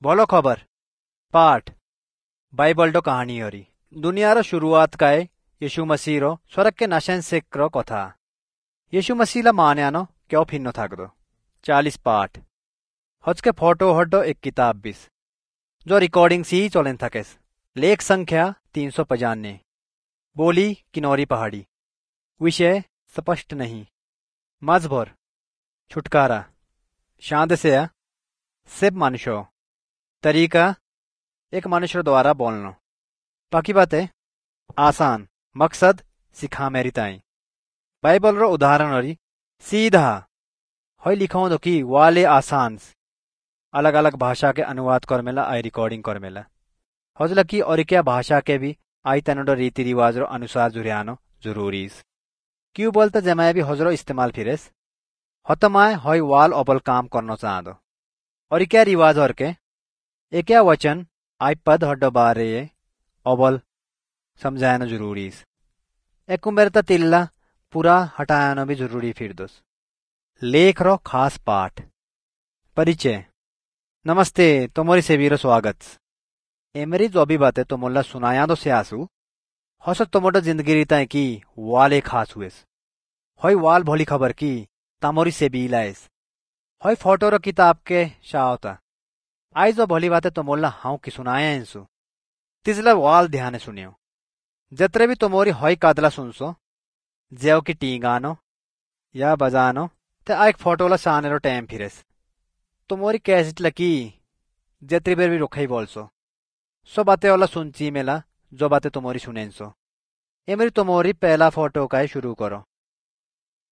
भलो खबर पाठ बाइबल कहानी हरी दुनिया शुरुआत काए यीशु मसीह रो स्वर्ग के नाशन से रो कथा। यीशु मसीह ला मान्यानो क्यों फिन्नो थाकदो। 40 पाठ हजके फोटो हड्डो एक किताब बिस जो रिकॉर्डिंग सी चलेन थकेस। लेख संख्या 395। बोली किनौरी पहाड़ी। विषय स्पष्ट नहीं। मजभर छुटकारा शांत से सिर्फ मनुष्य तरीका एक मनुष्य द्वारा बोलनो। बाकी बातें आसान मकसद सिखा मेरी ताई। बाइबल रो उदाहरण हरी सीधा हई लिखो दो कि वाले आसान अलग अलग भाषा के अनुवाद कर मेला आई रिकॉर्डिंग कर मेला हजला की और क्या भाषा के भी आई तनोडो रीति रिवाज रो अनुसार जुरियानो जरूरी। क्यों बोलता जमाए भी हजरो इस्तेमाल फिरेस हतमाए हई वाल अबल काम करनो चाहदो और क्या रिवाज और के एक वचन आई पद हड्डो बारे अबल समझाना जरूरी। एक उम्र तिल्ला पूरा हटाना भी जरूरी फिर दोस। लेख रो खास पाठ परिचय। नमस्ते तुम्हारी सेवीरो स्वागत। एमरी जो भी बातें तुमला सुनाया दो से आसू हस तुमोटो जिंदगी रीता की वाले खास हुएस हई वाल भोली खबर की तामोरी से लाएस हई फोटो रो किताब के शाहता आई जो भोली बातें तुमला how की सुनाया इंसु तिजला वाल ध्यान सुनियो। जतरे भी तुमोरी हई कादला सुनसो जेव की टींगानो या बजानो ते एक फोटो ला साने रो टाइम फिरेस। तुमोरी कैसेट लकी जतरी बेर भी रुखाई बोलसो सो बातें वाला सुनची मेला जो बातें तुमोरी सुनेंसो। एमरी तुमोरी पहला फोटो का ही शुरू करो।